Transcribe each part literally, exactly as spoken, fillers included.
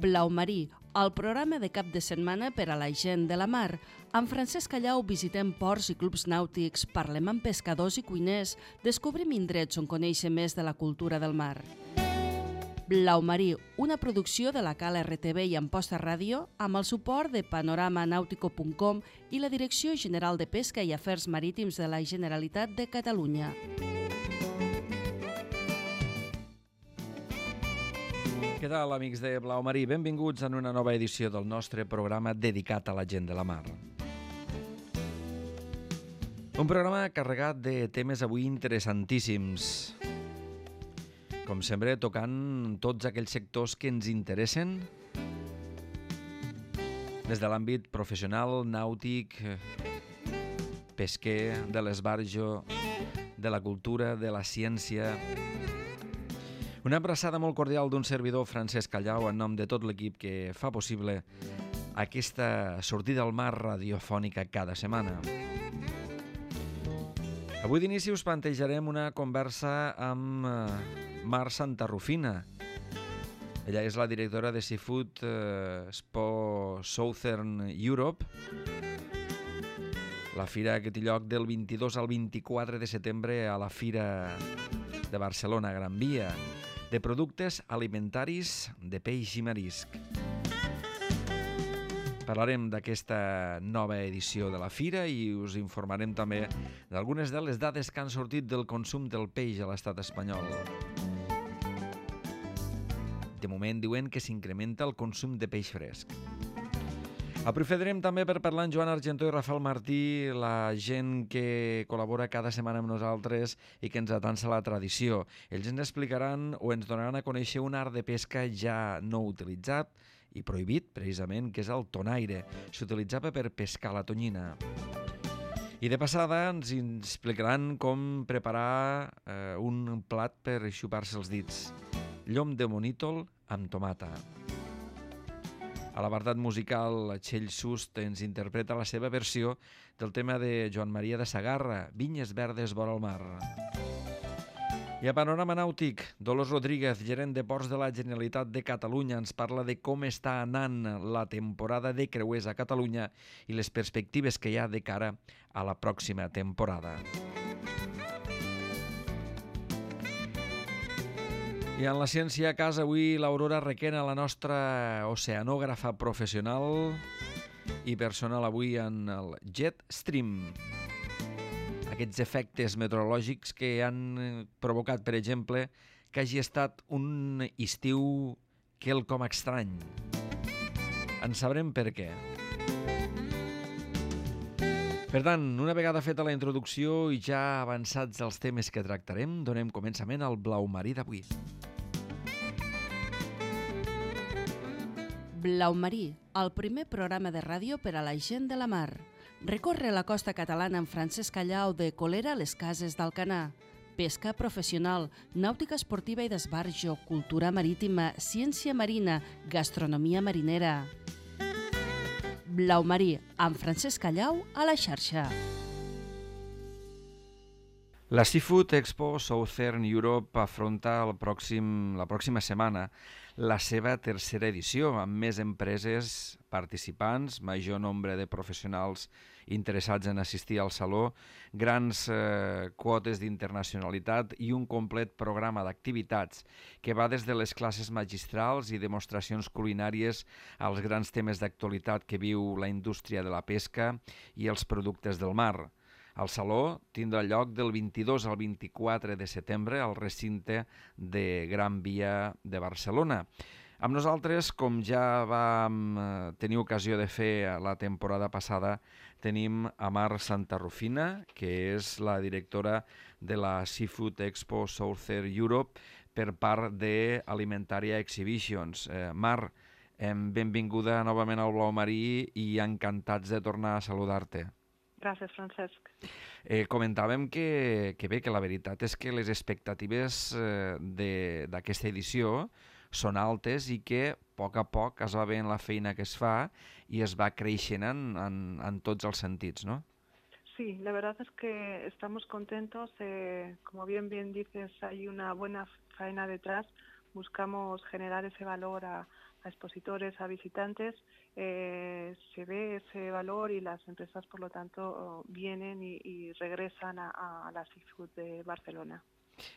Blau Marí, el programa de cap de setmana per a la gent de la mar. Amb Francesc Callau visitem ports i clubs nàutics, parlem amb pescadors i cuiners, descobrim indrets on conèixer més de la cultura del mar. Blau Marí, una producció de la Cala R T V i Amposta Ràdio, amb el suport de panorama nautico punt com i la Direcció General de Pesca i Afers Marítims de la Generalitat de Catalunya. Què tal, amics de Blau Marí? Benvinguts en una nova edició del nostre programa dedicat a la gent de la mar. Un programa carregat de temes avui interessantíssims. Com sempre, tocant tots aquells sectors que ens interessen, des de l'àmbit professional, nàutic, pesquer, de l'esbarjo, de la cultura, de la ciència. Una abraçada molt cordial d'un servidor, Francesc Callau, en nom de tot l'equip que fa possible aquesta sortida al mar radiofònica cada setmana. Avui d'inici us plantejarem una conversa amb Mar Santarrufina. Ella és la directora de Seafood Expo Southern Europe, la fira que té lloc del vint-i-dos al vint-i-quatre de setembre a la Fira de Barcelona, Gran Via, de productes alimentaris de peix i marisc. Parlarem d'aquesta nova edició de la fira i us informarem també d'algunes de les dades que han sortit del consum del peix a l'estat espanyol. De moment diuen que s'incrementa el consum de peix fresc. Aprofitarem també per parlar amb Joan Argentó i Rafael Martí, la gent que col·labora cada setmana amb nosaltres i que ens atansa la tradició. Ells ens explicaran o ens donaran a conèixer un art de pesca ja no utilitzat i prohibit, precisament, que és el tonaire. S'utilitzava per pescar la tonyina. I de passada ens explicaran com preparar eh, un plat per xupar-se els dits. Llom de monítol amb tomata. A l'apartat musical, Txell Sust ens interpreta la seva versió del tema de Joan Maria de Sagarra, Vinyes verdes vora el mar. I a panorama nàutic, Dolors Rodríguez, gerent de Ports de la Generalitat de Catalunya, ens parla de com està anant la temporada de creuers a Catalunya i les perspectives que hi ha de cara a la pròxima temporada. I en la ciència a casa avui l'Aurora Requena, la nostra oceanògrafa professional i personal avui en el Jet Stream. Aquests efectes meteorològics que han provocat, per exemple, que hagi estat un estiu quelcom estrany. En sabrem per què. Per tant, una vegada feta la introducció i ja avançats els temes que tractarem, donem començament al Blau Marí d'avui. Blau Marí, el primer programa de ràdio per a la gent de la mar. Recorre la costa catalana amb Francesc Callau de Colera a les Cases d'Alcanar. Pesca professional, nàutica esportiva i d'esbarjo, cultura marítima, ciència marina, gastronomia marinera. Blau Marí, amb Francesc Callau a la xarxa. La Seafood Expo Southern Europe afronta el pròxim, la pròxima setmana la seva tercera edició, amb més empreses participants, major nombre de professionals interessats en assistir al saló, grans eh, quotes d'internacionalitat i un complet programa d'activitats que va des de les classes magistrals i demostracions culinàries als grans temes d'actualitat que viu la indústria de la pesca i els productes del mar. El saló tindrà lloc del vint-i-dos al vint-i-quatre de setembre al recinte de Gran Via de Barcelona. Amb nosaltres, com ja vam tenir ocasió de fer la temporada passada, tenim a Mar Santarrufina, que és la directora de la Seafood Expo Southern Europe per part de Alimentaria Exhibitions. Eh, Mar, eh, benvinguda novament al Blau Marí i encantats de tornar a saludar-te. Gràcies, Francesc. Eh, comentàvem que, que bé, que la veritat és que les expectatives eh, d'aquesta edició són altes i que a poc a poc es va veient la feina que es fa i es va creixent en, en, en tots els sentits, ¿no? Sí, la verdad es que estamos contentos. Eh, como bien bien dices, hay una buena faena detrás. Buscamos generar ese valor a, a expositores, a visitantes, eh, se ve ese valor y las empresas, por lo tanto, vienen y, y regresan a, a la Seafood de Barcelona.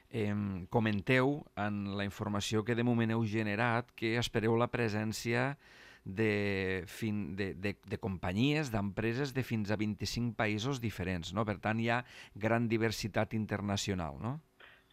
Eh, comenteu en la informació que de moment heu generat que espereu la presència de, fin, de, de, de companyies, d'empreses de fins a vint-i-cinc països diferents, no? Per tant, hi ha gran diversitat internacional, no?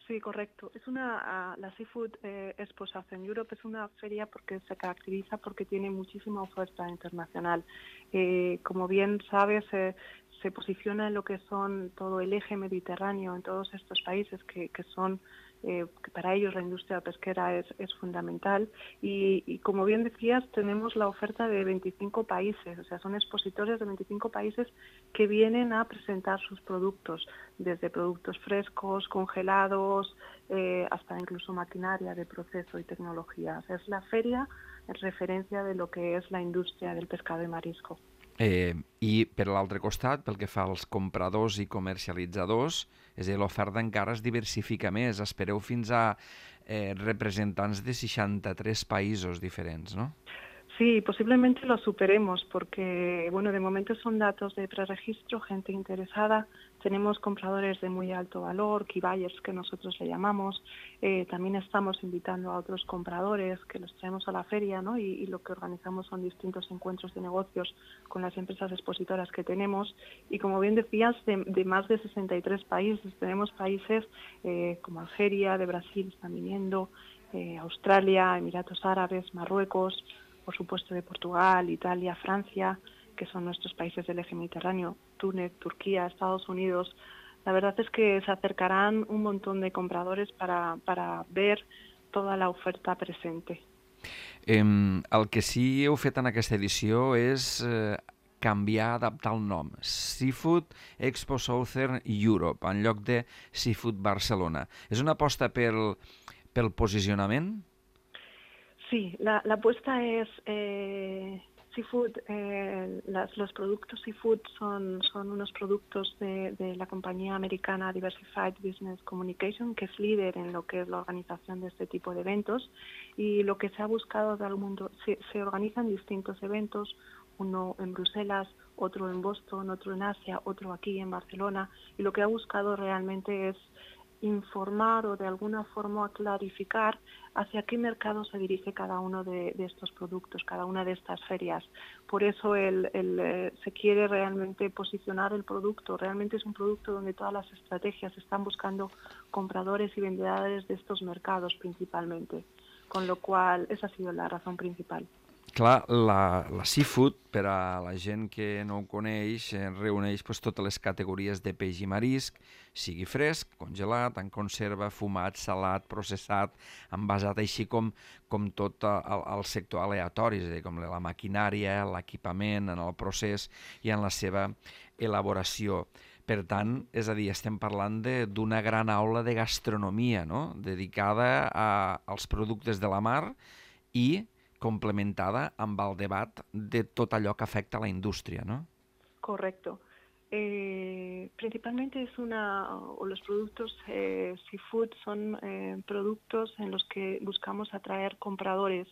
Sí, correcto. Es una, uh, la Seafood eh, Expo Southern Europe es una feria porque se caracteriza porque tiene muchísima oferta internacional. Eh, como bien sabes, eh, se posiciona en lo que son todo el eje mediterráneo, en todos estos países que, que son, eh, que para ellos la industria pesquera es, es fundamental. Y, y como bien decías, tenemos la oferta de veinticinco países, o sea, son expositores de veinticinco países que vienen a presentar sus productos, desde productos frescos, congelados, eh, hasta incluso maquinaria de proceso y tecnología. O sea, es la feria en referencia de lo que es la industria del pescado y marisco. Eh, I per l'altre costat, pel que fa als compradors i comercialitzadors, és a dir, l'oferta encara es diversifica més. Espereu fins a eh, representants de seixanta-tres països diferents, no? Sí, posiblemente lo superemos porque, bueno, de momento son datos de preregistro, gente interesada. Tenemos compradores de muy alto valor, key buyers que nosotros le llamamos. Eh, también estamos invitando a otros compradores que los traemos a la feria, ¿no? Y, y lo que organizamos son distintos encuentros de negocios con las empresas expositoras que tenemos. Y como bien decías, de, de más de sesenta y tres países, tenemos países eh, como Algeria, de Brasil están viniendo, eh, Australia, Emiratos Árabes, Marruecos, por supuesto de Portugal, Italia, Francia, que son nuestros países del eje mediterráneo, Túnez, Turquía, Estados Unidos. La verdad es que se acercarán un montón de compradores para, para ver toda la oferta presente. Eh, el que sí heu fet en aquesta edició és eh, canviar, adaptar el nom. Seafood Expo Southern Europe, en lloc de Seafood Barcelona. És una aposta pel, pel posicionament? Sí, la, la apuesta es eh, Seafood. Eh, las, los productos Seafood son, son unos productos de, de la compañía americana Diversified Business Communication, que es líder en lo que es la organización de este tipo de eventos. Y lo que se ha buscado de algún mundo, se, se organizan distintos eventos, uno en Bruselas, otro en Boston, otro en Asia, otro aquí en Barcelona. Y lo que ha buscado realmente es informar o de alguna forma clarificar hacia qué mercado se dirige cada uno de, de estos productos, cada una de estas ferias. Por eso el, el, eh, se quiere realmente posicionar el producto. Realmente es un producto donde todas las estrategias están buscando compradores y vendedores de estos mercados principalmente. Con lo cual, esa ha sido la razón principal. Clar, la, la Seafood, per a la gent que no ho coneix, eh, reuneix pues, totes les categories de peix i marisc, sigui fresc, congelat, en conserva, fumat, salat, processat, envasat, així com, com tot el, el sector aleatori, és a dir, com la maquinària, l'equipament, en el procés i en la seva elaboració. Per tant, és a dir, estem parlant d'una gran aula de gastronomia, no?, dedicada a, als productes de la mar i complementada amb el debat de tot allò que afecta a la indústria, ¿no? Correcto. Eh, principalmente es una, o los productos eh, Seafood son eh, productos en los que buscamos atraer compradores.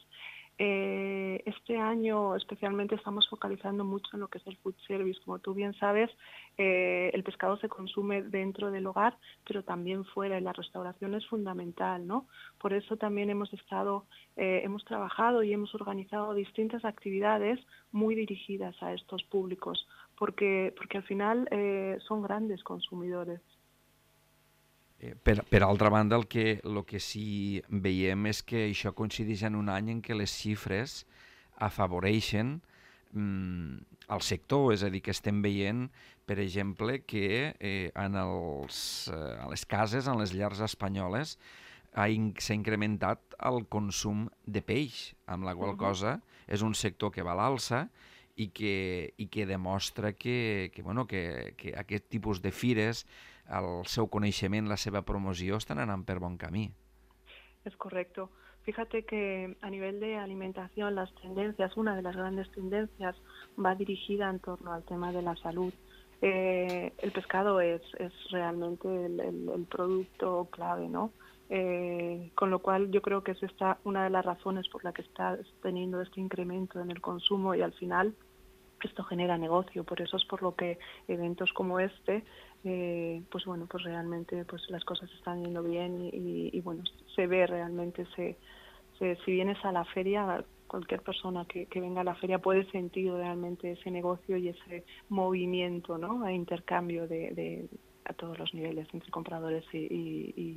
Eh, este año especialmente estamos focalizando mucho en lo que es el food service. Como tú bien sabes, eh, el pescado se consume dentro del hogar, pero también fuera, y la restauración es fundamental, ¿no? Por eso también hemos estado, eh, hemos trabajado y hemos organizado distintas actividades muy dirigidas a estos públicos, porque, porque al final eh, son grandes consumidores. Eh, per, per altra banda, el que, el que sí veiem és que això coincideix en un any en què les xifres afavoreixen mm, el sector, és a dir, que estem veient, per exemple, que eh, en, els, eh, a les cases, en les llars espanyoles, s'ha in, incrementat el consum de peix, amb la qual cosa és un sector que va a l'alça i que, i que demostra que, que, bueno, que, que aquest tipus de fires, el seu coneixement, la seva promoció, estan anant per bon camí. Es correcto. Fíjate que a nivel de alimentación, las tendencias, una de las grandes tendencias va dirigida en torno al tema de la salud. Eh, el pescado es, es realmente el, el, el producto clave, ¿no? Eh, con lo cual yo creo que es esta una de las razones por la que está teniendo este incremento en el consumo, y al final esto genera negocio. Por eso es por lo que eventos como este, eh, pues bueno, pues realmente pues las cosas están yendo bien y, y, y bueno, se ve realmente, se, se, si vienes a la feria, cualquier persona que, que venga a la feria puede sentir realmente ese negocio y ese movimiento, ¿no?, a intercambio de, de a todos los niveles entre compradores i, i, i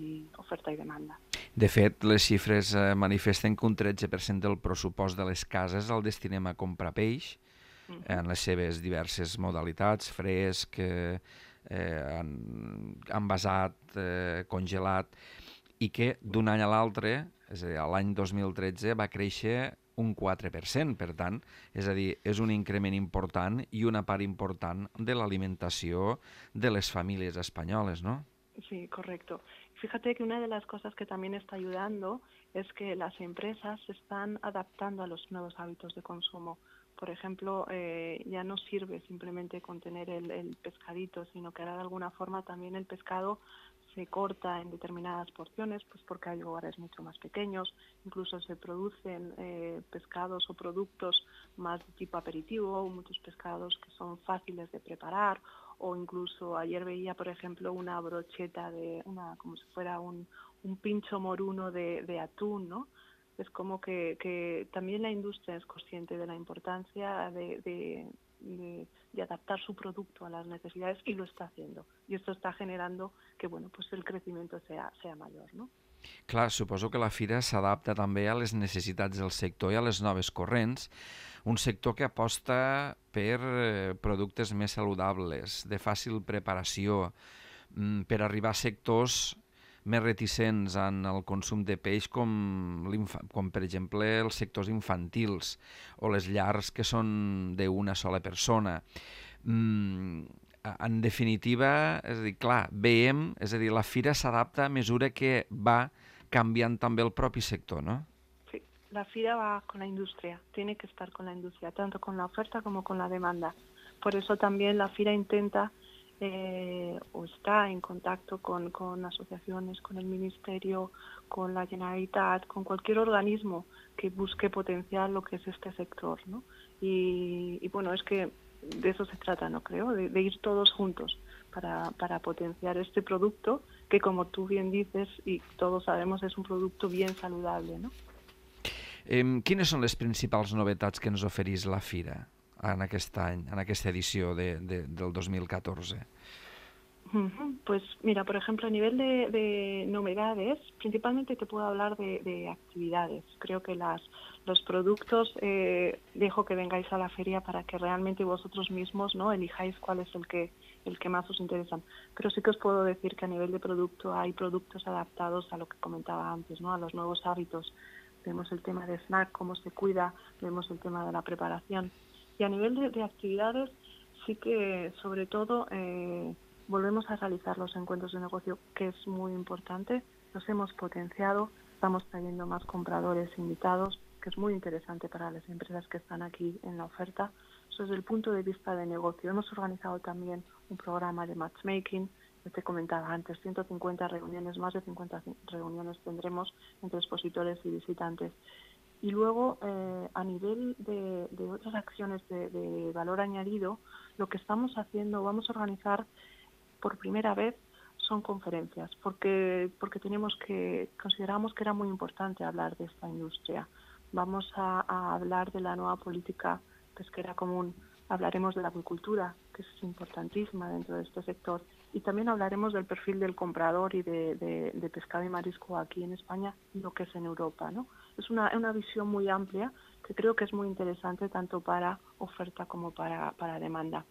oferta i demanda. De fet, les xifres eh, manifesten que un tretze per cent del pressupost de les cases el destinem a comprar peix, uh-huh, en les seves diverses modalitats, fresc, eh, eh, envasat, eh, congelat, i que d'un any a l'altre, és a dir, l'any dos mil tretze, va créixer un quatre per cent, per tant, és a dir, és un increment important i una part important de l'alimentació de les famílies espanyoles, ¿no? Sí, correcto. Fíjate que una de las cosas que también está ayudando es que las empresas se están adaptando a los nuevos hábitos de consumo. Por ejemplo, eh, ya no sirve simplemente con tener el, el pescadito, sino que ahora de alguna forma también el pescado se corta en determinadas porciones, pues porque hay lugares mucho más pequeños, incluso se producen eh, pescados o productos más de tipo aperitivo, muchos pescados que son fáciles de preparar, o incluso ayer veía, por ejemplo, una brocheta de, una como si fuera un, un pincho moruno de, de atún, ¿no? Es como que, que también la industria es consciente de la importancia de, de, de, de adaptar su producto a las necesidades, y lo está haciendo. Y esto está generando que, bueno, pues el crecimiento sea, sea mayor, ¿no? Clar, suposo que la fira s'adapta també a les necessitats del sector i a les noves corrents. Un sector que aposta per eh, productes més saludables, de fàcil preparació, mm, per arribar a sectors més reticents en el consum de peix, com, com per exemple els sectors infantils o les llars que són d'una sola persona. Mm, en definitiva, és a dir, clar, veiem, és a dir, la fira s'adapta a mesura que va canviant també el propi sector, ¿no? Sí, la fira va con la industria, tiene que estar con la industria, tanto con la oferta como con la demanda. Por eso también la fira intenta Eh, o está en contacto con, con asociaciones, con el Ministerio, con la Generalitat, con cualquier organismo que busque potenciar lo que es este sector, ¿no? Y, y bueno, es que de eso se trata, ¿no? Creo, de, de ir todos juntos para, para potenciar este producto que, como tú bien dices y todos sabemos, es un producto bien saludable, ¿no? Eh, quines són les principals novetats que ens oferís la fira en aquest any, en aquesta edició de, de, del dos mil catorze? Pues mira, por ejemplo, a nivel de, de novedades, principalmente te puedo hablar de, de actividades. Creo que las, los productos, eh, dejo que vengáis a la feria para que realmente vosotros mismos, ¿no?, elijáis cuál es el que, el que más os interesan. Pero sí que os puedo decir que a nivel de producto hay productos adaptados a lo que comentaba antes, ¿no?, a los nuevos hábitos. Vemos el tema de snack, cómo se cuida, vemos el tema de la preparación. Y a nivel de, de actividades, sí que sobre todo eh, volvemos a realizar los encuentros de negocio, que es muy importante. Los hemos potenciado, estamos trayendo más compradores invitados, que es muy interesante para las empresas que están aquí en la oferta. Eso desde el punto de vista de negocio. Hemos organizado también un programa de matchmaking, que te comentaba antes, ciento cincuenta reuniones, más de cincuenta reuniones tendremos entre expositores y visitantes. Y luego, eh, a nivel de, de otras acciones de, de valor añadido, lo que estamos haciendo, vamos a organizar por primera vez, son conferencias, porque, porque tenemos que, consideramos que era muy importante hablar de esta industria. Vamos a, a hablar de la nueva política pesquera común, hablaremos de la acuicultura, que es importantísima dentro de este sector, y también hablaremos del perfil del comprador y de, de, de pescado y marisco aquí en España y lo que es en Europa, ¿no? Es una, una visión muy amplia que creo que es muy interesante tanto para oferta como para, para demanda.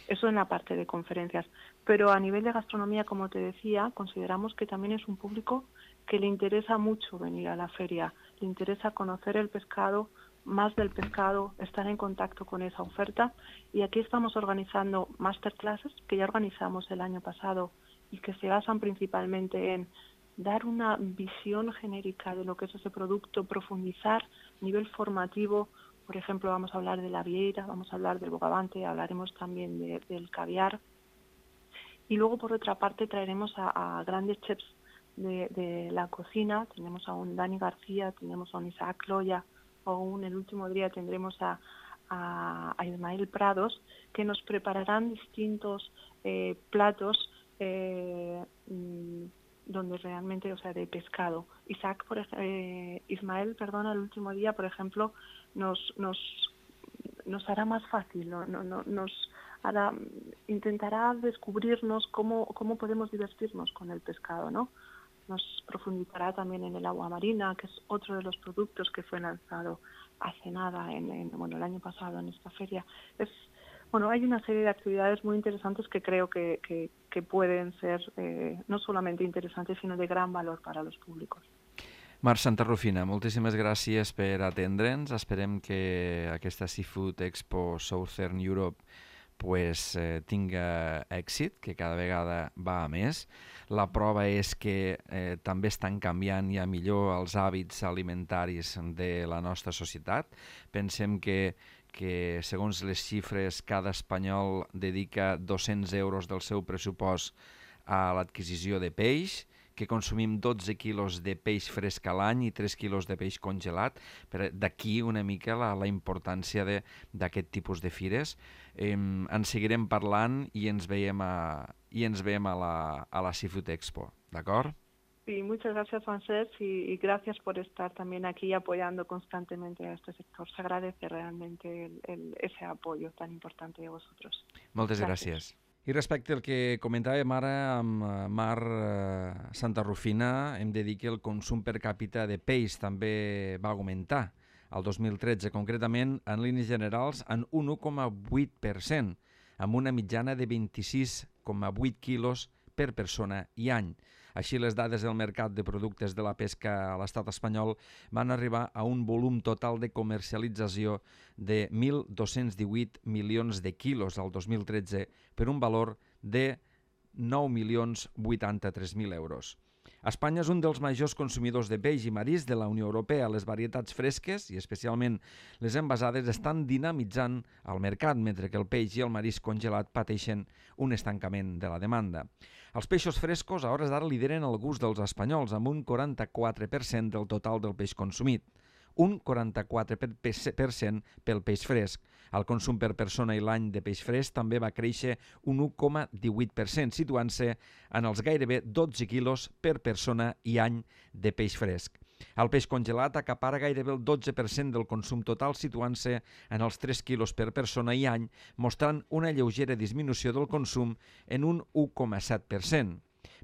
Eso en la parte de conferencias. Pero a nivel de gastronomía, como te decía, consideramos que también es un público que le interesa mucho venir a la feria, le interesa conocer el pescado, más del pescado, estar en contacto con esa oferta, y aquí estamos organizando masterclasses que ya organizamos el año pasado y que se basan principalmente en dar una visión genérica de lo que es ese producto, profundizar a nivel formativo. Por ejemplo, vamos a hablar de la vieira, vamos a hablar del bogavante, hablaremos también de, del caviar. Y luego, por otra parte, traeremos a, a grandes chefs de, de la cocina. Tenemos a un Dani García, tenemos a un Isaac Loya, o aún el último día tendremos a, a, a Ismael Prados, que nos prepararán distintos eh, platos eh, donde realmente, o sea, de pescado. Isaac, por, eh, Ismael, perdón, el último día, por ejemplo, nos nos nos hará más fácil, ¿no? No, no, nos hará, intentará descubrirnos cómo cómo podemos divertirnos con el pescado, ¿no? Nos profundizará también en el agua marina, que es otro de los productos que fue lanzado hace nada, en, en bueno, el año pasado en esta feria. Es Bueno, hay una serie de actividades muy interesantes que creo que, que, que pueden ser eh, no solamente interesantes, sino de gran valor para los públicos. Mar Santarrufina, moltíssimes gràcies per atendre'ns. Esperem que aquesta Seafood Expo Southern Europe pues, eh, tinga èxit, que cada vegada va a més. La prova és que eh, també estan canviant ja millor els hàbits alimentaris de la nostra societat. Pensem que que segons les xifres cada espanyol dedica dos-cents euros del seu pressupost a l'adquisició de peix, que consumim dotze quilos de peix fresc a l'any i tres quilos de peix congelat. D'aquí una mica la, la importància d'aquest tipus de fires. Eh, en seguirem parlant i ens veiem a, i ens veiem a la, a la Seafood Expo, d'acord? Sí, muchas gracias, Francesc, y, y gracias por estar también aquí apoyando constantemente a este sector. Se agradece realmente el, el, ese apoyo tan importante de vosotros. Moltes gràcies. gràcies. I respecte al que comentàvem ara amb Mar eh, Santarrufina, hem de dir que el consum per càpita de peix també va augmentar el dos mil tretze, concretament en línies generals en un u coma vuit per cent, amb una mitjana de vint-i-sis coma vuit quilos per persona i any. Així, les dades del mercat de productes de la pesca a l'estat espanyol van arribar a un volum total de comercialització de mil dos-cents divuit milions de quilos al dos mil tretze per un valor de nou milions vuitanta-tres mil euros. Espanya és un dels majors consumidors de peix i marisc de la Unió Europea. Les varietats fresques, i especialment les envasades, estan dinamitzant el mercat, mentre que el peix i el marisc congelat pateixen un estancament de la demanda. Els peixos frescos a hores d'ara lideren el gust dels espanyols, amb un quaranta-quatre per cent del total del peix consumit. Un quaranta-quatre per cent pel peix fresc. El consum per persona i l'any de peix fresc també va créixer un u coma divuit per cent, situant-se en els gairebé dotze quilos per persona i any de peix fresc. El peix congelat acapara gairebé el dotze per cent del consum total, situant-se en els tres quilos per persona i any, mostrant una lleugera disminució del consum en un u coma set per cent.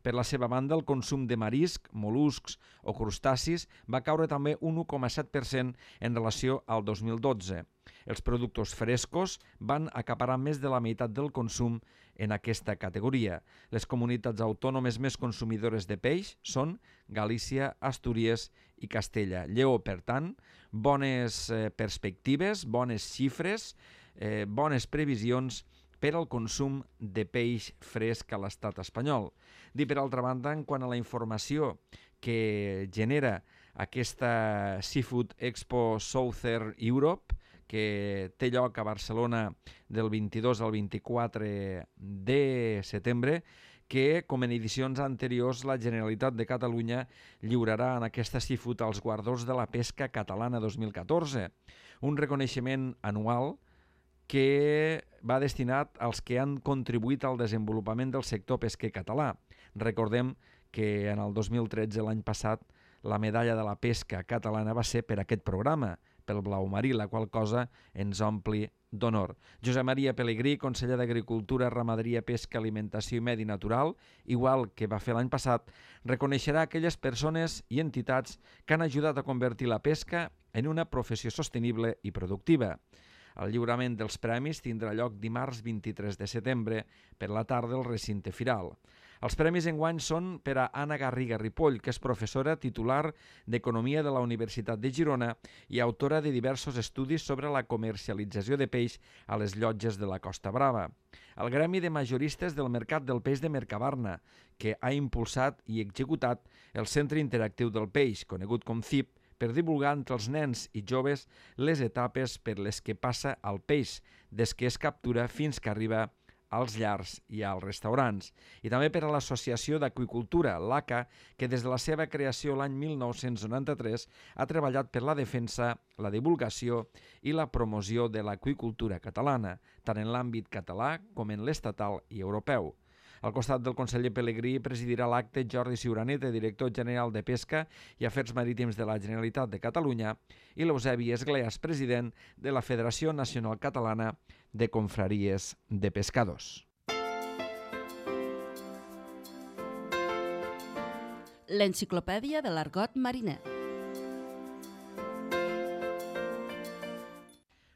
Per la seva banda, el consum de marisc, mol·luscs o crustacis va caure també un u coma set per cent en relació al dos mil dotze. Els productes frescos van acaparar més de la meitat del consum en aquesta categoria. Les comunitats autònomes més consumidores de peix són Galícia, Astúries i Castella. Lleó, per tant, bones eh, perspectives, bones xifres, eh, bones previsions per al consum de peix fresc a l'estat espanyol. Dir, per altra banda, en quant a la informació que genera aquesta Seafood Expo Southern Europe, que té lloc a Barcelona del vint-i-dos al vint-i-quatre de setembre, que, com en edicions anteriors, la Generalitat de Catalunya lliurarà en aquesta Seafood els guardons de la pesca catalana dos mil catorze, un reconeixement anual que va destinat als que han contribuït al desenvolupament del sector pesquer català. Recordem que en el dos mil tretze, l'any passat, la medalla de la pesca catalana va ser per aquest programa, pel blau marí, la qual cosa ens ompli d'honor. Josep Maria Pelegrí, conseller d'Agricultura, Ramaderia, Pesca, Alimentació i Medi Natural, igual que va fer l'any passat, reconeixerà aquelles persones i entitats que han ajudat a convertir la pesca en una professió sostenible i productiva. El lliurament dels premis tindrà lloc dimarts vint-i-tres de setembre per la tarda al recinte firal. Els premis enguany són per a Anna Garriga Ripoll, que és professora titular d'Economia de la Universitat de Girona i autora de diversos estudis sobre la comercialització de peix a les llotges de la Costa Brava. El Gremi de Majoristes del Mercat del Peix de Mercabarna, que ha impulsat i executat el Centre Interactiu del Peix, conegut com C I P, per divulgar entre els nens i joves les etapes per les que passa el peix, des que es captura fins que arriba als llars i als restaurants, i també per a l'Associació d'Aqüicultura, l'A C A, que des de la seva creació l'any mil nou-cents noranta-tres ha treballat per la defensa, la divulgació i la promoció de l'aqüicultura catalana, tant en l'àmbit català com en l'estatal i europeu. Al costat del conseller Pelegrí presidirà l'acte Jordi Ciuraneta, director general de Pesca i Afers Marítims de la Generalitat de Catalunya, i l'Eusebi Esgleas, president de la Federació Nacional Catalana de Confraries de Pescadors. L'enciclopèdia de l'argot mariner.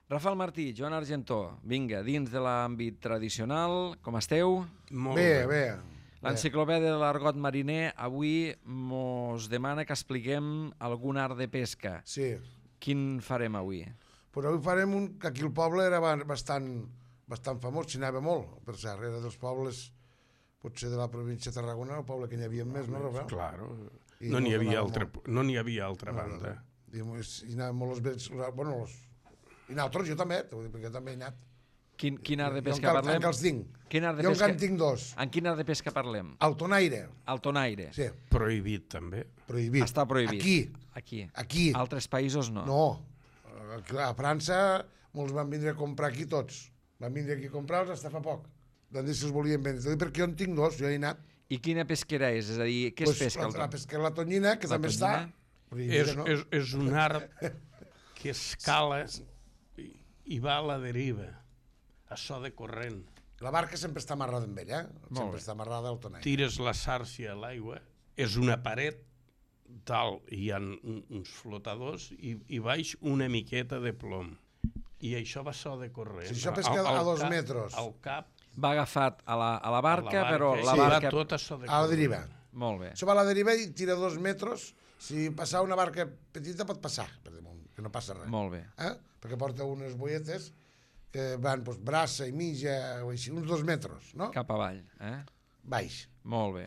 Rafael Martí, Joan Argentó, vinga, dins de l'àmbit tradicional, com esteu? Molt bé, bé. L'enciclopèdia de l'argot mariner avui mos demana que expliquem algun art de pesca. Sí. Quin farem avui? Pues avui farem un que aquí el poble era bastant, bastant famós, s'hi anava molt, per cert, era dels pobles, potser de la província de Tarragona, el poble que n'hi havia més, no, Rafael? Claro, no n'hi havia, altra, no n'hi havia altra banda. I anaven molt els vells, bueno, els... I nosaltres, jo també, perquè també he anat. Quin, quin art de pesca jo parlem? Jo encara els tinc. Quin art de jo pesca... encara en tinc dos. En quin art de pesca parlem? El tonaire. El tonaire. Sí. Prohibit, també. Prohibit. Està prohibit. Aquí. Aquí. Aquí. Altres països no. No. A França molts van vindre a comprar aquí tots. Van vindre aquí a comprar-los fins fa poc. Van dir si els volien vendre. Perquè jo en tinc dos, jo he anat. I quina pesquera és? És a dir, què pues es pesca? La, la pesca la tonyina, que la també tonyina? Està... Prohibida, és, no? és, és un art que escala i, i va a la deriva, a so de corrent. La barca sempre està amarrada amb ell, eh? Sempre està amarrada al tonaire. Tires la sàrcia a l'aigua, és una paret, dalt hi ha uns flotadors i, i baix una miqueta de plom. I això va so de corrent. Si això pesca al, a dos cap, metres. Al cap... Va agafat a la, a la barca, a la barca però la sí, barca... va tot a so de corrent. A la deriva. Molt bé. Això va a la deriva i tira dos metres. Si passar una barca petita pot passar, per damunt, que no passa res. Molt bé. Eh? Perquè porta unes boietes que van doncs, braça i mitja, o així, uns dos metres, no? Cap avall, eh? Baix. Molt bé.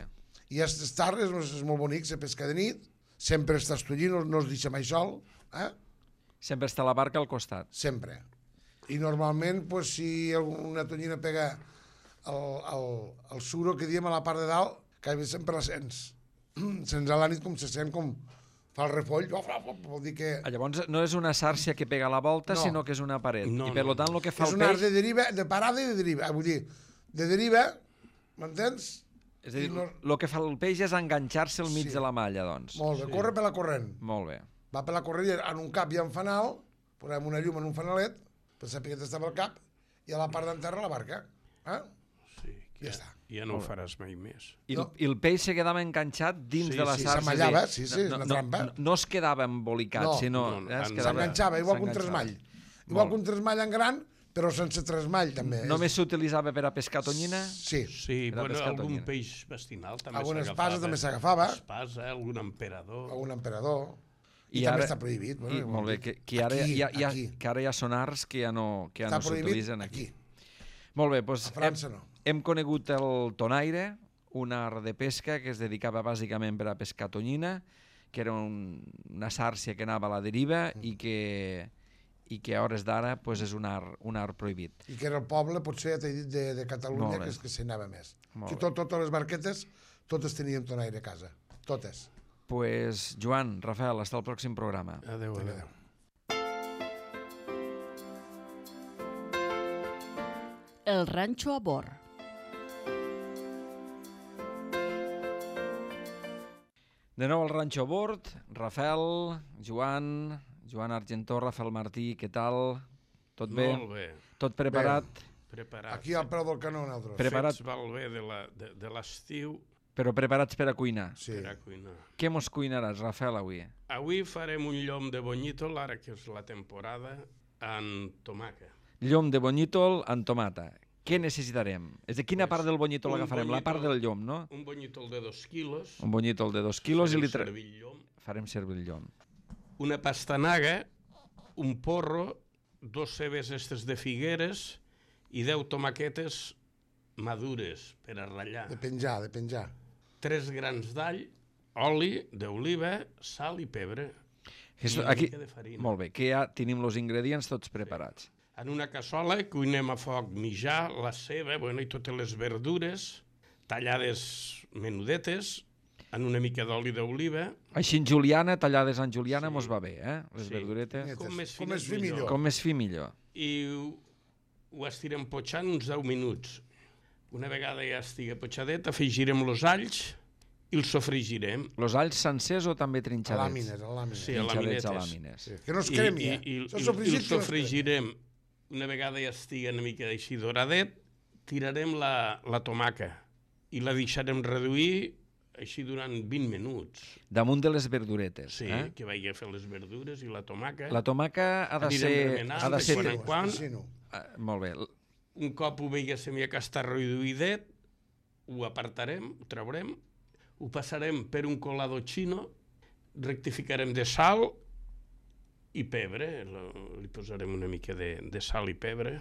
I és tard, és, és molt bonic, se pesca de nit, sempre està estullint, no, no es deixa mai sol, eh? Sempre està la barca al costat. Sempre. I normalment, pues, si una tonyina pega el, el, el suro que diem a la part de dalt, que sempre la sents. Sents a la nit com se sent com fa el refoll, vol dir que... Llavors no és una sàrcia que pega a la volta, no. sinó que és una paret. No, I per no. tant el que fa és el un art peix... de deriva, de parada i de deriva. Vull dir, de deriva, m'entens? És a dir, no... el que fa el peix és enganxar-se al mig Sí. de la malla, doncs. Molt bé, Sí. corre per la corrent. Molt bé. Va per la corrent i en un cap hi ha un fanal, posem una llum en un fanalet, per saber que estava al cap, i a la part d'enterra la barca. Eh? Sí, que Ja ja, està. ja no ho faràs mai més. I, No. I el peix se quedava enganxat dins Sí, de la sí, sàrcia. s'amallava, és a sí, dir, sí, és no, una no, trampa. No, no es quedava embolicat, No, sinó... no, no, eh, es en- quedava- S'enganxava, igual que un s'enganxava. tresmall. Igual que un tresmall en gran, però sense tresmall, també. Només s'utilitzava per a pescar tonyina? Sí. Sí, Era bueno, pescar algun tonyina. peix vestinal també Alguna s'agafava. espasa també s'agafava. Espasa, algun emperador. A un emperador. I, I també ara- està prohibit. Bueno, I, molt bé, que, que, ara aquí, ja, ja, aquí. que ara ja són arts que ja no, que ja Està no prohibit s'utilitzen aquí. aquí. Molt bé, doncs A França hem, no. hem conegut el tonaire, un art de pesca que es dedicava bàsicament per a pescar tonyina, que era un, una sàrcia que anava a la deriva Mm. i que, i que a hores d'ara pues, és un art, un art prohibit. I que era el poble, potser, ja t'he dit, de, de Catalunya, Molt bé. que és que s'hi anava més. Molt Aquí bé. tot, totes les barquetes, totes tenien tonaire a casa. Totes. Pues, Joan, Rafael, hasta el pròxim programa. Adéu, adéu. Adéu. El ranxo a bord. De nou al Ranxo a bord, Rafael, Joan, Joan Argentó, Rafael Martí, què tal? Tot bé? Molt bé. Tot preparat? Preparat. Aquí al peu del canó, nosaltres. Pre- preparat. Fets malbé de la- de, de l'estiu Però preparats per a cuinar. Sí. per a cuinar. Què mos cuinaràs, Rafael, avui? Avui farem un llom de bonyítol, ara que és la temporada, en tomaca. Llom de bonyítol amb tomata. Què necessitarem? És de quina Pues, part del bonyítol un agafarem? La part bonyítol- del llom, no? Un bonyítol de dos quilos. Un bonyítol de dos quilos i farem li tra... servir el llom. farem servir el llom. Una pastanaga, un porro, dos cebes estes de figueres i deu tomaquetes madures per a ratllar. De penjar, de penjar. Tres grans d'all, oli d'oliva, sal i pebre. Esto, I una aquí... mica de farina. Molt bé, que ja tenim els ingredients tots preparats. En una cassola cuinem a foc mitjà la ceba, bueno, i totes les verdures, tallades menudetes, en una mica d'oli d'oliva. Així en juliana, tallades en juliana, Sí. mos va bé, eh? Les Sí. verduretes. Com més Com fines, més fi millor. millor. Com més fi millor. I ho, ho estirem potxant uns deu minuts. Una vegada ja estigui potxadet, afegirem els alls i els sofregirem. Los alls sencers o també A trinxadets? làmines, a làmines. Sí, a Trinxadets laminetes. a làmines. Sí, que no es I, cremi, i, eh? i, Això i, i sofregit el que no es cremi. sofregirem. Una vegada ja estigui una mica així doradet, tirarem la, la tomaca i la deixarem reduir així durant vint minuts. Damunt de les verduretes. Sí, eh? que vagi a fer les verdures i la tomaca. La tomaca ha de Anirem ser... remenant, Ha de ser... quan en quan. Espessino. Ah, molt bé. Un cop ho veiéssim ja que està reduïdet, ho apartarem, ho traurem, ho passarem per un colado xino, rectificarem de sal i pebre, li posarem una mica de, de sal i pebre.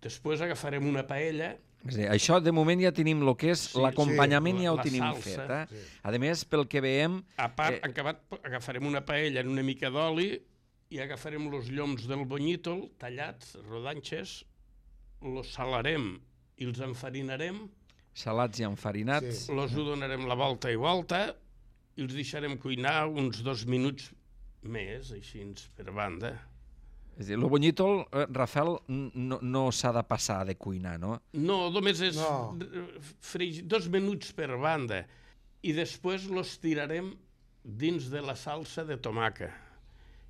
Després agafarem una paella. És a dir, això de moment ja tenim el que és Sí, l'acompanyament, sí, ja ho la tenim salsa. fet. Eh? Sí. A més, pel que veiem... A part, Eh. eh... acabat, agafarem una paella en una mica d'oli i agafarem els lloms del bonyítol tallats, rodanxes, els salarem i els enfarinarem, Salats i enfarinats. Sí. els ho donarem la volta i volta i els deixarem cuinar uns dos minuts més, així per banda. És a dir, el bonyítol, eh, Rafael, n- no, no s'ha de passar de cuinar, no? No, només és No. fregir dos minuts per banda i després los tirarem dins de la salsa de tomaca.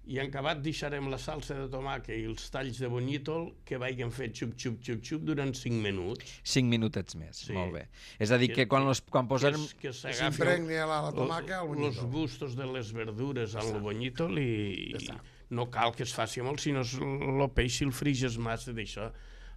I en acabat deixarem la salsa de tomaca i els talls de bonyítol que vagin fet xup, xup, xup, xup durant cinc minuts. Cinc minutets més, Sí. molt bé. És a dir, que, Que- quan, los, quan posem... Que, es- que Que s'agafi s'impregni la, la tomaca al els bonyítol. gustos de les verdures amb el bonyítol i, i no cal que es faci molt, sinó el peix si el friges massa d'això.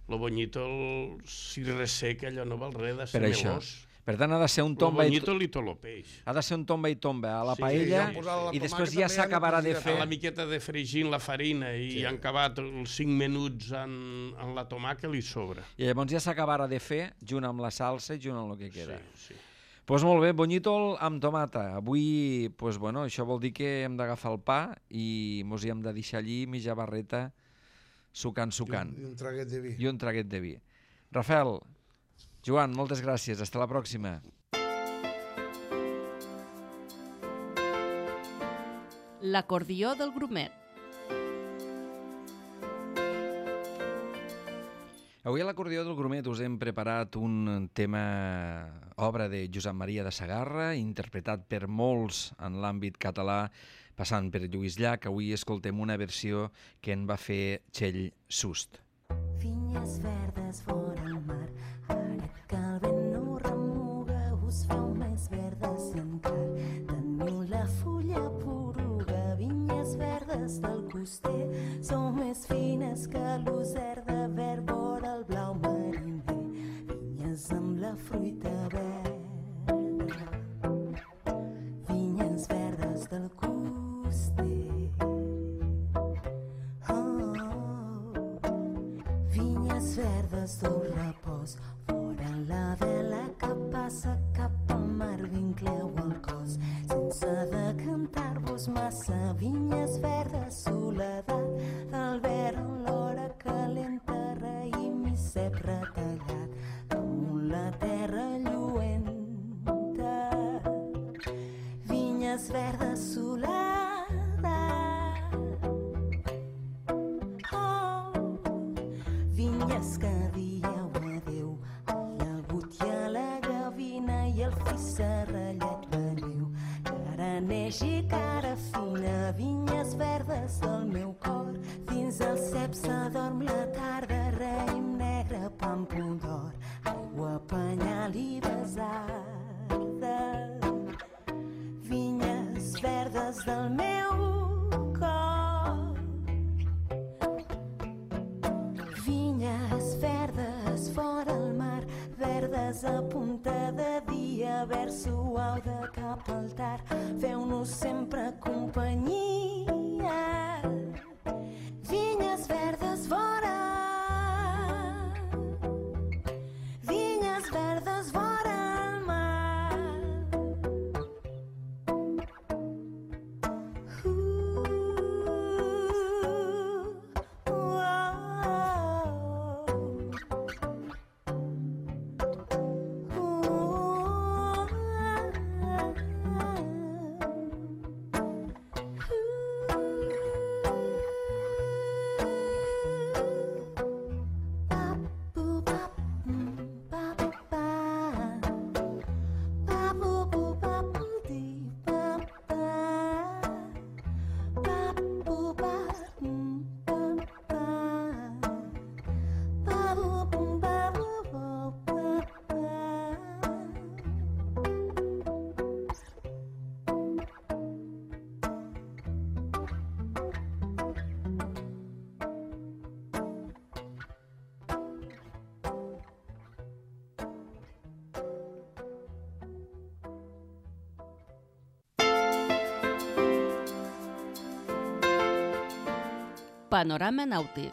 El bonyítol, si resseca, allò no val res, ha de ser Per això. melós. Per tant, ha de ser un El tomba i, bonyítol i tot el peix. ha de ser un tomba i tomba a la Sí, paella sí, sí. La i després tomàquet ja també s'acabarà de ja no fer... A la miqueta de fregir en la farina i Sí. sí. han acabat els cinc minuts en, en la tomaca li sobra. I llavors ja s'acabarà de fer junt amb la salsa i junt amb el que queda. Sí, sí. Doncs pues molt bé, bonyítol amb tomata. Avui, pues bueno, això vol dir que hem d'agafar el pa i mos hi hem de deixar allí mitja barreta sucant, sucant. I un, i un traguet de vi. I un traguet de vi. Rafael, Joan, moltes gràcies. Hasta la pròxima. L'acordió del grumet. Avui a l'acordió del Grumet us hem preparat un tema, obra de Josep Maria de Sagarra, interpretat per molts en l'àmbit català, passant per Lluís Llach. Avui escoltem una versió que en va fer Txell Sust. Vinyes verdes vora el mar, ara que el vent no remuga, us feu més verdes i encara teniu la fulla poruga. Vinyes verdes del coster, sou més fines que l'user de verd vora el blau mariner. Vinyes amb la fruita verda, vinyes verdes del coster. Vinyes verdes d'un repòs, fora la vela que passa cap al mar, vincleu el cos, sense decantar-vos massa. Vinyes verdes, soledat, del verd en l'hora calenta, raïm i cep retallat, damunt la terra lluenta. Vinyes verdes, soledat, vinyes que dieu adeu a l'agut i a la gavina i el fi serrallat veniu, cara neix i cara fina. Vinyes verdes del meu cor, dins el cep s'adorm la tarda, raïm negre, pàmpol d'or, aigua, penyal i besarda. Vinyes verdes del meu cor, vinyes verdes fora al mar, verdes a punta de dia, verd suau de cap al tard, feu-nos sempre companyia. Vinyes verdes fora, vinyes verdes fora al mar. Uh, uh, uh. Panorama Nàutic.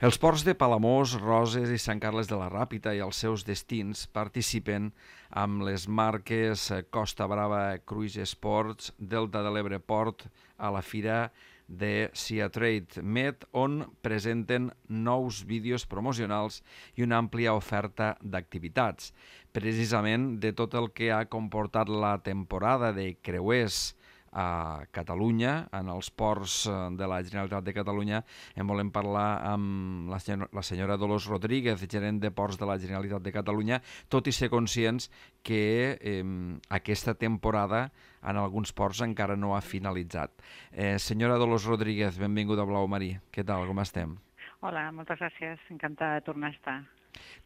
Els ports de Palamós, Roses i Sant Carles de la Ràpita i els seus destins participen amb les marques Costa Brava Cruise Sports, Delta de l'Ebre Port a la fira de Sea Trade Med, on presenten nous vídeos promocionals i una àmplia oferta d'activitats. Precisament de tot el que ha comportat la temporada de creuers a Catalunya, en els ports de la Generalitat de Catalunya, en volem parlar amb la senyora, la senyora Dolors Rodríguez, gerent de Ports de la Generalitat de Catalunya, tot i ser conscients que eh, aquesta temporada en alguns ports encara no ha finalitzat. Eh, senyora Dolors Rodríguez, benvinguda a Blau Marí. Què tal, com estem? Hola, moltes gràcies. Encantada de tornar a estar.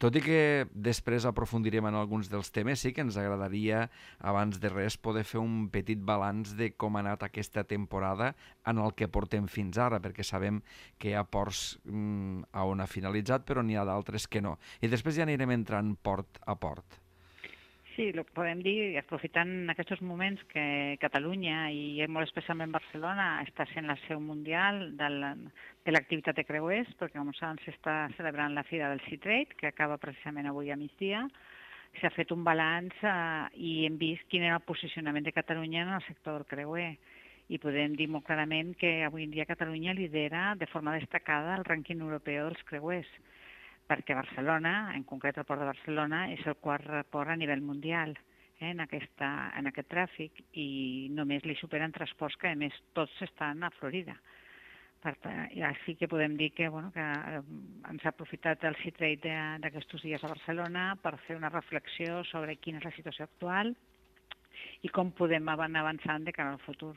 Tot i que després aprofundirem en alguns dels temes, sí que ens agradaria, abans de res, poder fer un petit balanç de com ha anat aquesta temporada en el que portem fins ara, perquè sabem que hi ha ports mm, on ha finalitzat, però n'hi ha d'altres que no. I després ja anirem entrant port a port. Sí, el que podem dir, aprofitant aquests moments que Catalunya i molt especialment Barcelona està sent la seu mundial de l'activitat de creuers, perquè com saben s'està celebrant la Fira del Sea Trade, que acaba precisament avui a migdia. S'ha fet un balanç eh, i hem vist quin era el posicionament de Catalunya en el sector del creuer. I podem dir molt clarament que avui en dia Catalunya lidera de forma destacada el rànquing europeu dels creuers, perquè Barcelona, en concret el port de Barcelona, és el quart port a nivell mundial eh, en, aquesta, en aquest tràfic i només li superen tres ports que, a més, tots estan a Florida. Per tant, així que podem dir que, bueno, que ens ha aprofitat el Sea Trade d'aquests dies a Barcelona per fer una reflexió sobre quina és la situació actual i com podem anar avançant de cara al futur.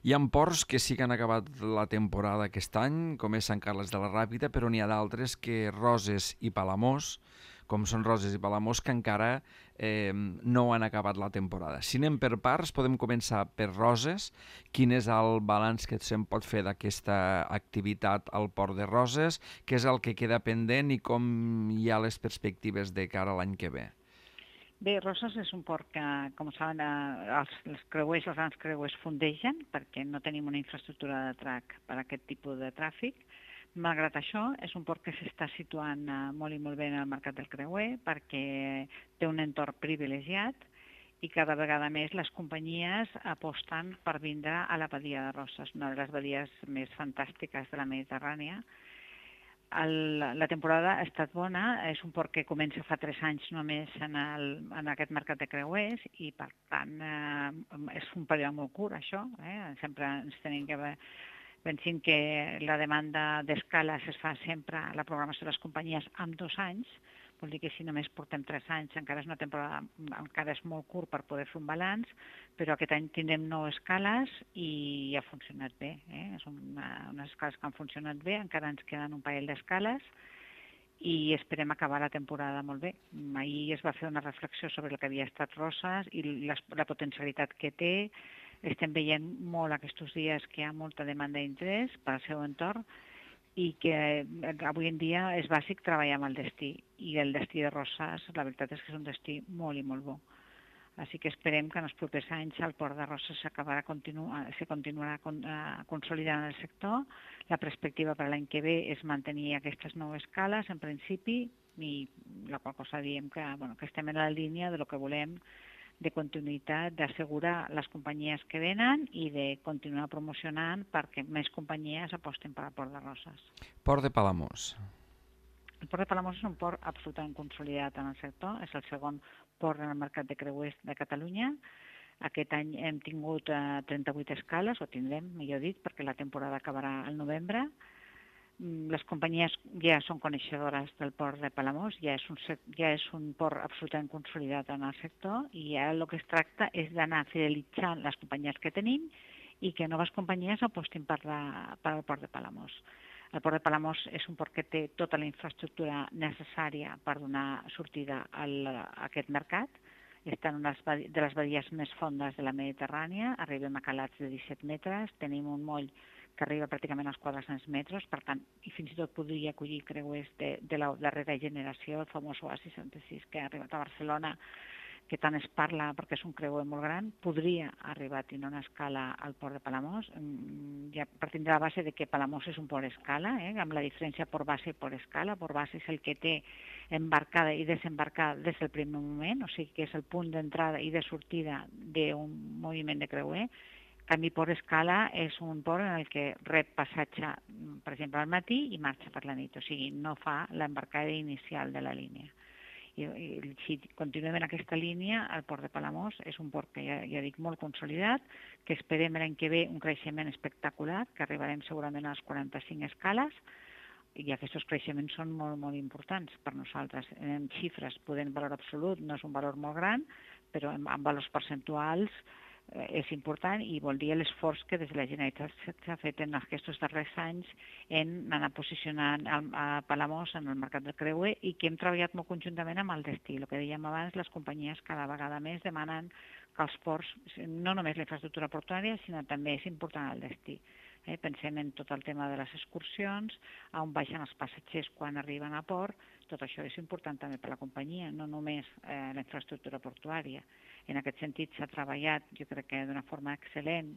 Hi ha ports que sí que han acabat la temporada aquest any, com és Sant Carles de la Ràpita, però n'hi ha d'altres que Roses i Palamós, com són Roses i Palamós, que encara eh, no han acabat la temporada. Si anem per parts, podem començar per Roses. Quin és el balanç que se'n pot fer d'aquesta activitat al port de Roses? Què és el que queda pendent i com hi ha les perspectives de cara a l'any que ve? Bé, Roses és un port que, com saben, els, els creuers, els grans creuers fondegen perquè no tenim una infraestructura de trac per a aquest tipus de tràfic. Malgrat això, és un port que s'està situant molt i molt bé en el mercat del creuer perquè té un entorn privilegiat i cada vegada més les companyies aposten per vindre a la badia de Roses, una de les badies més fantàstiques de la Mediterrània. El, la temporada ha estat bona, és un port que comença fa tres anys només en, el, en aquest mercat de creuers i per tant eh, és un període molt curt això, eh? Sempre ens tenim que pensem que la demanda d'escales es fa sempre, la programació de les companyies amb dos anys, vol dir que si només portem tres anys encara és una temporada, encara és molt curt per poder fer un balanç, però aquest any tindrem nou escales i ha funcionat bé. Eh? Són una, unes escales que han funcionat bé, encara ens queden un parell d'escales i esperem acabar la temporada molt bé. Ahir es va fer una reflexió sobre el que havia estat Roses i la, la potencialitat que té. Estem veient molt aquests dies que hi ha molta demanda d'interès per al seu entorn i que avui en dia és bàsic treballar amb el destí. I el destí de Roses, la veritat és que és un destí molt i molt bo. Així que esperem que en els propers anys el port de Roses s'acabarà continuar, se continuarà consolidant el sector. La perspectiva per l'any que ve és mantenir aquestes nou escales, en principi, i la qual cosa diem que, bueno, que estem en la línia de lo que volem de continuïtat, d'assegurar les companyies que venen i de continuar promocionant perquè més companyies aposten per al port de Roses. Port de Palamós. El port de Palamós és un port absolutament consolidat en el sector, és el segon port en el mercat de creuers de Catalunya. Aquest any hem tingut eh, trenta-vuit escales, o tindrem, millor dit, perquè la temporada acabarà al novembre. Les companyies ja són coneixedores del port de Palamós, ja és un, ja és un port absolutament consolidat en el sector i ara el que es tracta és d'anar fidelitzant les companyies que tenim i que noves companyies apostin per, la, per al port de Palamós. El port de Palamós és un port que té tota la infraestructura necessària per donar sortida al, a aquest mercat. Està en una de les badies més fondes de la Mediterrània, arribem a calats de disset metres, tenim un moll que arriba pràcticament als quatre-cents metres, per tant, i fins i tot podria acollir creuers de, de la darrera generació, el famós Oasis setanta sis que ha arribat a Barcelona que tant es parla perquè és un creuer molt gran, podria arribar a tenir una escala al port de Palamós, ja partint de la base de que Palamós és un port escala, eh, amb la diferència port base i port escala. Port base és el que té embarcada i desembarcada des del primer moment, o sigui que és el punt d'entrada i de sortida d'un moviment de creuer. En canvi, port escala és un port en el que rep passatge, per exemple, al matí i marxa per la nit, o sigui, no fa l'embarcada inicial de la línia. I, i si continuem en aquesta línia, el port de Palamós és un port que ja, ja dic molt consolidat, que esperem l'any que ve un creixement espectacular, que arribarem segurament a les quaranta-cinc escales, i aquests creixements són molt, molt importants per nosaltres. En xifres, podent valor absolut, no és un valor molt gran, però en, en valors percentuals és important i vol dir l'esforç que des de la Generalitat s'ha fet en aquests darrers anys en anar posicionant a Palamós en el mercat del creuer i que hem treballat molt conjuntament amb el destí. El que dèiem abans, les companyies cada vegada més demanen que els ports, no només la infraestructura portuària, sinó també és important el destí. Eh, pensem en tot el tema de les excursions, on baixen els passatgers quan arriben a port, tot això és important també per a la companyia, no només eh, la infraestructura portuària. En aquest sentit s'ha treballat, jo crec que d'una forma excel·lent,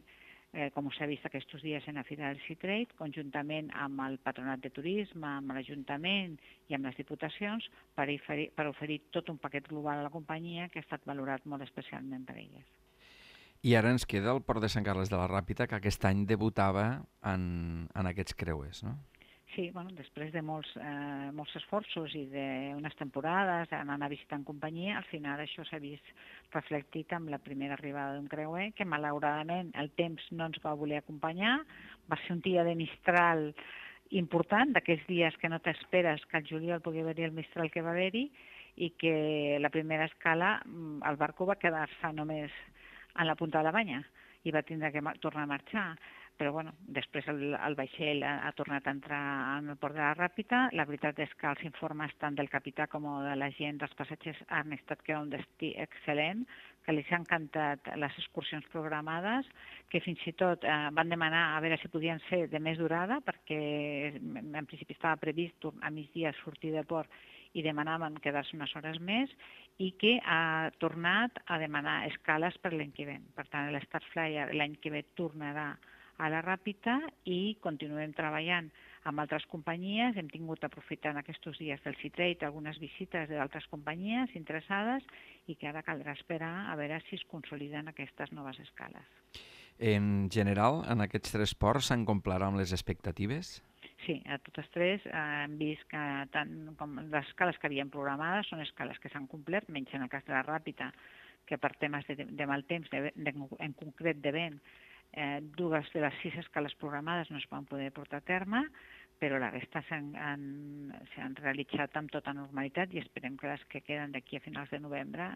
eh, com s'ha vist aquests dies en la Fira del Sea Trade, conjuntament amb el Patronat de Turisme, amb l'Ajuntament i amb les Diputacions, per oferir, per oferir tot un paquet global a la companyia que ha estat valorat molt especialment per elles. I ara ens queda el port de Sant Carles de la Ràpita, que aquest any debutava en, en aquests creuers, no? Sí, bueno, després de molts, eh, molts esforços i d'unes temporades anant a visitar en companyia, al final això s'ha vist reflectit amb la primera arribada d'un creuer, que malauradament el temps no ens va voler acompanyar, va ser un dia de mistral important, d'aquells dies que no t'esperes que al juliol pugui haver-hi el mistral que va haver-hi, i que la primera escala el barco va quedar-se només en la punta de la banya i va tindre que tornar a marxar. Però bueno, després el, el vaixell ha, ha tornat a entrar en el port de la Ràpita. La veritat és que els informes tant del capità com de la gent, dels passatgers, han estat que era un destí excel·lent, que els ha encantat les excursions programades, que fins i tot eh, van demanar a veure si podien ser de més durada, perquè en principi estava previst a migdia sortir del port i demanaven quedar-se unes hores més, i que ha tornat a demanar escales per l'any que ve. Per tant, l'Star Flyer l'any que ve tornarà a la Ràpita i continuem treballant amb altres companyies. Hem tingut aprofitant aquests dies del Sea Trade algunes visites d'altres companyies interessades i que ara caldrà esperar a veure si es consoliden aquestes noves escales. En general, en aquests tres ports s'han complert amb les expectatives? Sí, a totes tres eh, hem vist que tant com les escales que havíem programades són escales que s'han complert, menys en el cas de la Ràpita, que per temes de, de mal temps, de, de, en concret de vent, Eh, dues de les sis escales programades no es van poder portar a terme, però la resta s'han realitzat amb tota normalitat i esperem que les que queden d'aquí a finals de novembre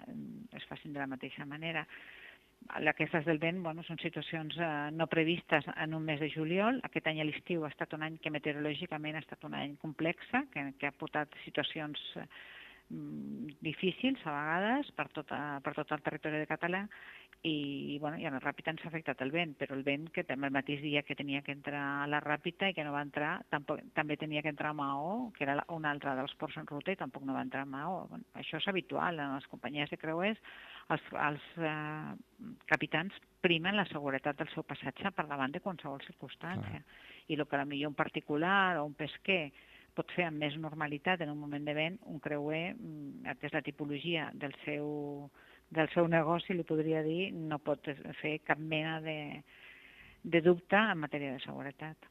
es facin de la mateixa manera. Aquestes del vent bueno, són situacions eh, no previstes en un mes de juliol. Aquest any a l'estiu ha estat un any que meteorològicament ha estat un any complex, que, que ha portat situacions eh, difícils a vegades per, tota, per tot el territori de Català i, bueno, i a la Ràpita ens ha afectat el vent, però el vent que també el mateix dia que tenia que entrar a la Ràpita i que no va entrar, tampoc, també tenia que entrar a Maó, que era un altre dels ports en ruta i tampoc no va entrar a Maó. Bueno, això és habitual en les companyies de creuers, els, els eh, capitans primen la seguretat del seu passatge per davant de qualsevol circumstància. Ah. I el que potser un particular o un pesquer pot fer amb més normalitat en un moment de vent, un creuer, atès la tipologia del seu, del seu negoci, li podria dir, no pot fer cap mena de, de dubte en matèria de seguretat.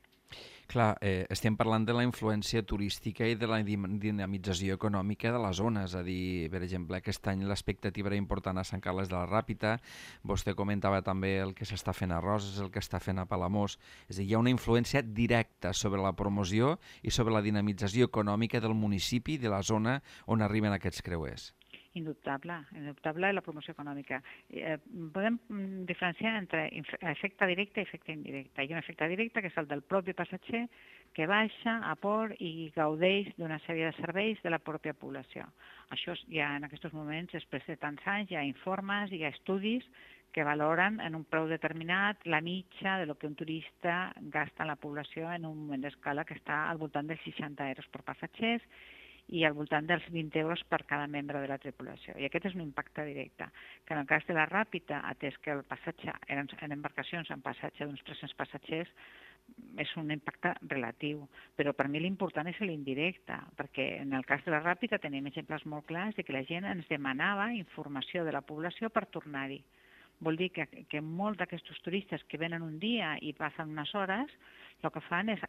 Clar, eh, estem parlant de la influència turística i de la dinamització econòmica de la zona, és a dir, per exemple, aquest any l'expectativa era important a Sant Carles de la Ràpita, vostè comentava també el que s'està fent a Roses, el que està fent a Palamós, és a dir, hi ha una influència directa sobre la promoció i sobre la dinamització econòmica del municipi, de la zona on arriben aquests creuers. Indubtable, indubtable la promoció econòmica. Eh, podem diferenciar entre efecte directe i efecte indirecte. Hi ha un efecte directe que és el del propi passatger que baixa a port i gaudeix d'una sèrie de serveis de la pròpia població. Això ja en aquests moments, després de tants anys, hi ha informes, hi ha estudis que valoren en un preu determinat la mitja de lo que un turista gasta en la població en un moment d'escala que està al voltant dels seixanta euros per passatgers i al voltant dels vint euros per cada membre de la tripulació. I aquest és un impacte directe, que en el cas de la Ràpita, atès que el passatge eren en embarcacions en passatge d'uns tres-cents passatgers, és un impacte relatiu, però per mi l'important és l'indirecte, perquè en el cas de la Ràpita tenim exemples molt clars de que la gent ens demanava informació de la població per tornar-hi. Vol dir que, que molts d'aquests turistes que venen un dia i passen unes hores, el que fan és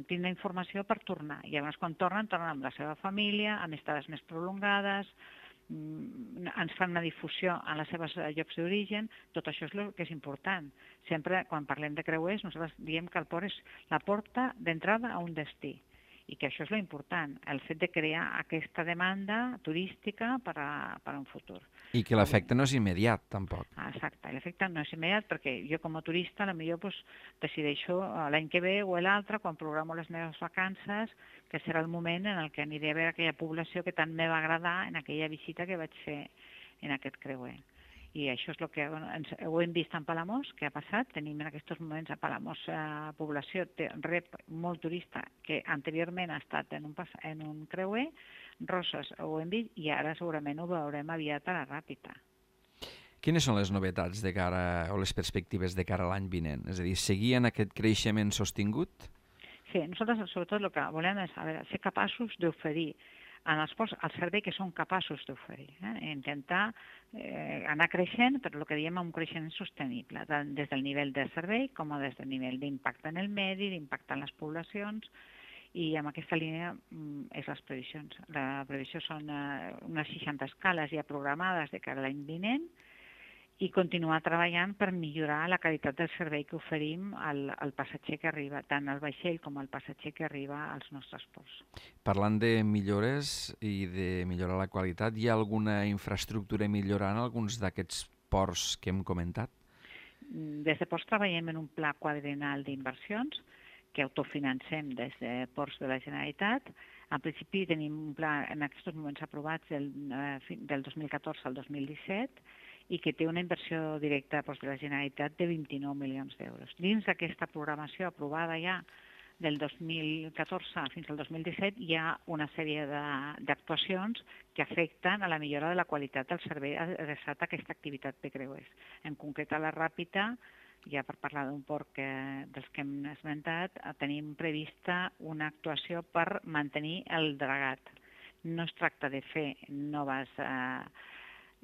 tindre informació per tornar. I llavors quan tornen, tornen amb la seva família, amb estades més prolongades, ens fan una difusió en les seves llocs d'origen. Tot això és el que és important. Sempre, quan parlem de creuers, nosaltres diem que el port és la porta d'entrada a un destí. I que això és l'important, el fet de crear aquesta demanda turística per a, per a un futur. I que l'efecte no és immediat, tampoc. Exacte, l'efecte no és immediat perquè jo com a turista potser pues, decideixo l'any que ve o l'altre, quan programo les meves vacances, que serà el moment en el que aniré a veure aquella població que tant me va agradar en aquella visita que vaig fer en aquest creuer. I això és el que bueno, ens, ho hem vist en Palamós, que ha passat. Tenim en aquests moments a Palamós eh, població, té, rep molt turista que anteriorment ha estat en un, en un creuer, Roses ho hem vist i ara segurament ho veurem aviat a la Ràpita. Quines són les novetats de cara, o les perspectives de cara a l'any vinent? És a dir, seguir en aquest creixement sostingut? Sí, nosaltres sobretot el que volem és a veure, ser capaços d'oferir en els ports el servei que són capaços d'oferir. Eh? Intentar eh, anar creixent, però el que diem un creixement sostenible, tant des del nivell de servei com des del nivell d'impacte en el medi, d'impacte en les poblacions, i amb aquesta línia mm, és les previsions. La previsió són eh, unes seixanta escales ja programades de cara a l'any vinent, i continuar treballant per millorar la qualitat del servei que oferim al, al passatger que arriba, tant al vaixell com al passatger que arriba als nostres ports. Parlant de millores i de millorar la qualitat, hi ha alguna infraestructura millorant alguns d'aquests ports que hem comentat? Des de Ports treballem en un pla quadriennal d'inversions que autofinancem des de Ports de la Generalitat. En principi tenim un pla en aquests moments aprovats del, eh, del dos mil catorze al dos mil disset, i que té una inversió directa doncs, de la Generalitat de vint-i-nou milions d'euros. Dins d'aquesta programació aprovada ja del dos mil catorze fins al dos mil disset hi ha una sèrie d'actuacions que afecten a la millora de la qualitat del servei adreçat a aquesta activitat de creuers. En concret a la Ràpita, ja per parlar d'un port que, dels que hem esmentat, tenim prevista una actuació per mantenir el dragat. No es tracta de fer noves eh,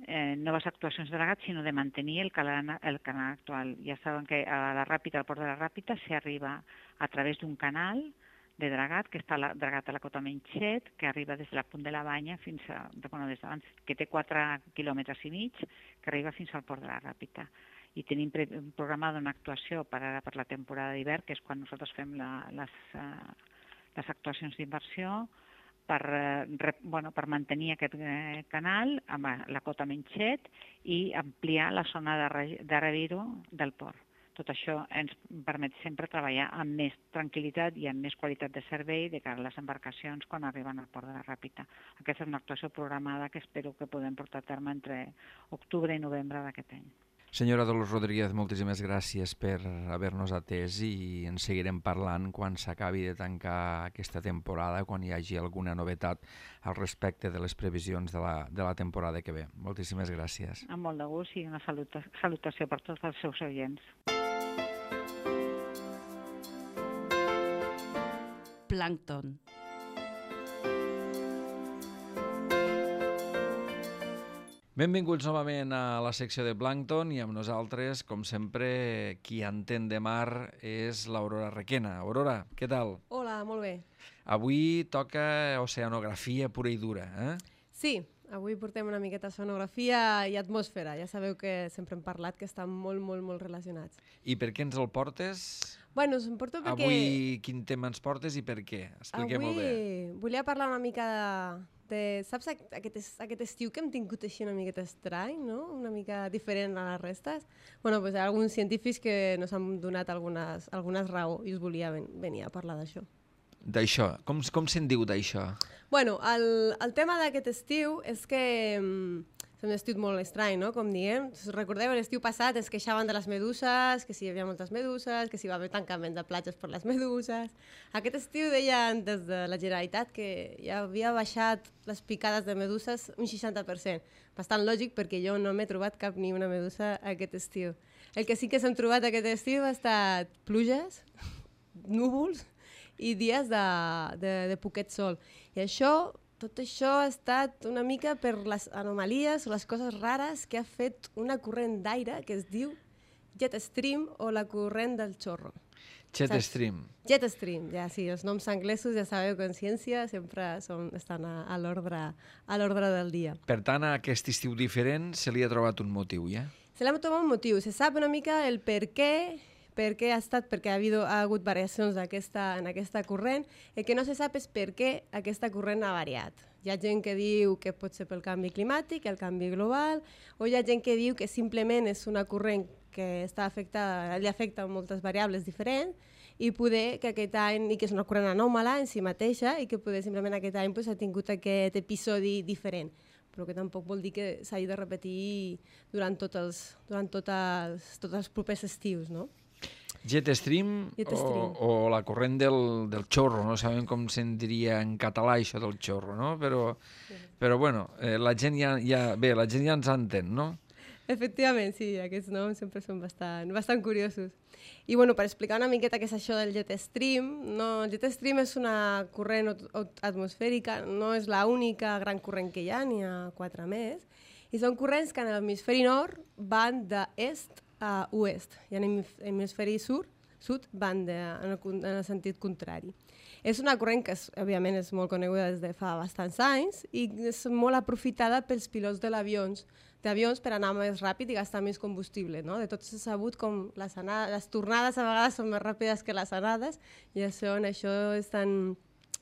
Eh, noves actuacions de dragat, sinó de mantenir el canal, el canal actual. Ja saben que a la Ràpita, al port de la Ràpita, s'hi arriba a través d'un canal de dragat, que està la, dragat a la Cota Menxet, que arriba des de la Punt de la Banya fins a, bueno, des d'abans, que té quatre quilòmetres i mig, que arriba fins al port de la Ràpita. I tenim pre programada una actuació per ara per la temporada d'hivern, que és quan nosaltres fem la, les, uh, les actuacions d'inversió, per, eh, bueno, per mantenir aquest eh, canal amb la Cota Menxet i ampliar la zona de, re, de reviro del port. Tot això ens permet sempre treballar amb més tranquil·litat i amb més qualitat de servei de cara a les embarcacions quan arriben al port de la Ràpita. Aquesta és una actuació programada que espero que podem portar a terme entre octubre i novembre d'aquest any. Senyora Dolors Rodríguez, moltíssimes gràcies per haver-nos atès i en seguirem parlant quan s'acabi de tancar aquesta temporada, quan hi hagi alguna novetat al respecte de les previsions de la, de la temporada que ve. Moltíssimes gràcies. Amb molt de gust i una saluta, salutació per tots els seus oients. Plàncton. Benvinguts novament a la secció de Plàncton i amb nosaltres, com sempre, qui entén de mar és l'Aurora Requena. Aurora, què tal? Hola, molt bé. Avui toca oceanografia pura i dura, eh? Sí, avui portem una miqueta sonografia i atmosfera. Ja sabeu que sempre hem parlat que estan molt, molt, molt relacionats. I per què ens el portes? Bueno, us en porto perquè... Avui quin tema ens portes i per què? Expliquem-ho bé. Avui volia parlar una mica de... de saps aquest, aquest estiu que hem tingut així una miqueta estrany, no? Una mica diferent a les restes? Bueno, doncs hi ha alguns científics que nos han donat algunes, algunes raó i us volia ven, venir a parlar d'això. D'això? Com, com se'n diu d'això? Bueno, el, el tema d'aquest estiu és que és un estiu molt estrany, no? Com diem. Recordeu, l'estiu passat es queixaven de les meduses, que si hi havia moltes meduses, que si hi va haver tancament de platges per les meduses. Aquest estiu deien des de la Generalitat que ja havia baixat les picades de meduses un seixanta per cent. Bastant lògic perquè jo no m'he trobat cap ni una medusa aquest estiu. El que sí que s'han trobat aquest estiu ha estat pluges, núvols i dies de, de, de poquet sol. I això... Tot això ha estat una mica per les anomalies o les coses rares que ha fet una corrent d'aire que es diu jet stream o la corrent del xorro. Jet Saps? Stream. Jet stream, ja sí, els noms anglesos ja sabeu que en ciència sempre són, estan a, a l'ordre del dia. Per tant, a aquest estiu diferent se li ha trobat un motiu, ja? Se li ha trobat un motiu, se sap una mica el per què, per què ha estat, perquè ha, habido, ha hagut variacions aquesta, en aquesta corrent. El que no se sap és per què aquesta corrent ha variat. Hi ha gent que diu que pot ser pel canvi climàtic, el canvi global, o hi ha gent que diu que simplement és una corrent que està afectada, li afecta moltes variables diferents, i poder que aquest any, i que és una corrent anòmala en si mateixa, i que poder simplement aquest any pues, ha tingut aquest episodi diferent, però que tampoc vol dir que s'hagi de repetir durant, tots els, durant tot els, tots els propers estius, no? Jet stream, Jet stream. O, o la corrent del, del xorro, no sabem com se'n diria en català això del xorro, no? Però, sí. però bueno, eh, la gent ja, ja, bé, la gent ja ens entén, no? Efectivament, sí, aquests noms sempre són bastant, bastant curiosos. I bueno, per explicar una miqueta què és això del jet stream, no, el jet stream és una corrent atmosfèrica, no és l'única gran corrent que hi ha, n'hi ha quatre més, i són corrents que en l'hemisferi nord van d'est a oest, i en l'hemisferi sud, sud van de, en, el, en el sentit contrari. És una corrent que, és, òbviament, és molt coneguda des de fa bastants anys i és molt aprofitada pels pilots de l'avions, d'avions per anar més ràpid i gastar més combustible. No? De tot s'ha sabut com les, anades, les tornades a vegades són més ràpides que les anades i això, en això estan,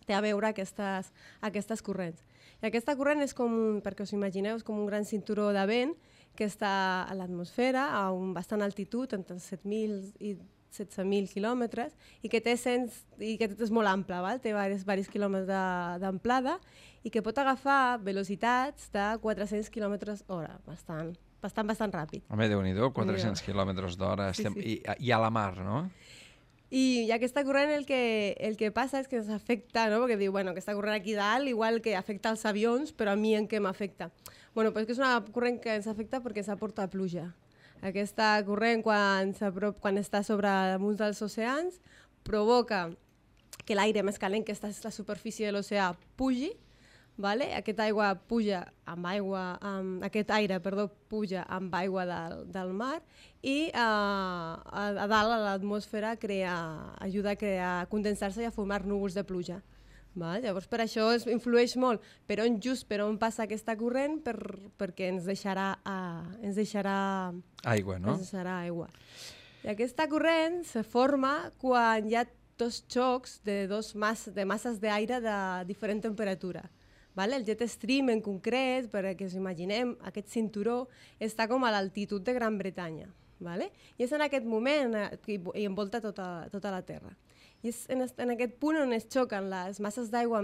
té a veure aquestes, aquestes corrents. I aquesta corrent és com, un, perquè us imagineu, és com un gran cinturó de vent que està a l'atmosfera a un bastant altitud, entre set mil i setze mil quilòmetres, i que té cents, i que és molt ample, val? Té diversos, diversos quilòmetres d'amplada i que pot agafar velocitats de quatre-cents quilòmetres hora, bastant, bastant, bastant ràpid. Home, Déu-n'hi-do, quatre-cents quilòmetres d'hora, sí, sí. I, i a la mar, no? I, i aquesta corrent el que, el que passa és que ens afecta, no? Perquè diu, bueno, aquesta corrent aquí dalt igual que afecta els avions, però a mi en què m'afecta? Bueno, pues que és una corrent que ens afecta perquè s'aporta pluja. Aquesta corrent, quan, quan està sobre damunt dels oceans, provoca que l'aire més calent que està a la superfície de l'oceà pugi, vale? Aquesta aigua puja amb aigua, amb, aquest aire, perdó, puja amb aigua del, del mar i uh, a, a dalt a l'atmosfera ajuda a crear, a condensar-se i a formar núvols de pluja. Val? Llavors per això es influeix molt per on just per on passa aquesta corrent per, perquè ens deixarà, uh, ens deixarà aigua, no? Ens deixarà aigua. I aquesta corrent se forma quan hi ha dos xocs de, dos mas, de masses d'aire de diferent temperatura. Vale? El jet stream en concret, perquè us imaginem, aquest cinturó està com a l'altitud de Gran Bretanya. Vale? I és en aquest moment i, i envolta tota, tota la Terra. I és en, en aquest punt on es xoquen les masses d'aigua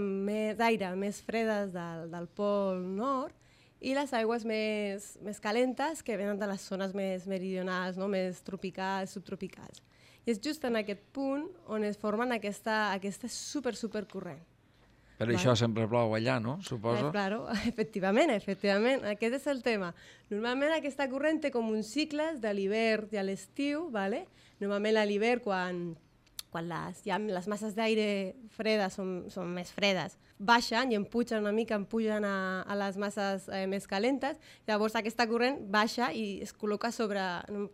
d'aire més fredes del, del pol nord i les aigües més, més calentes que venen de les zones més meridionals, no? Més tropicals, subtropicals. I és just en aquest punt on es formen aquesta, aquesta super, super corrent. Per vale. Això sempre plou allà, no? Suposo. Eh, claro, efectivament, efectivament. Aquest és el tema. Normalment aquesta corrent té com uns cicles de l'hivern i a l'estiu, ¿vale? Normalment a l'hivern, quan, quan les, ja les masses d'aire fredes són, són més fredes, baixen i empugen una mica, empugen a, a les masses eh, més calentes, llavors aquesta corrent baixa i es col·loca sobre,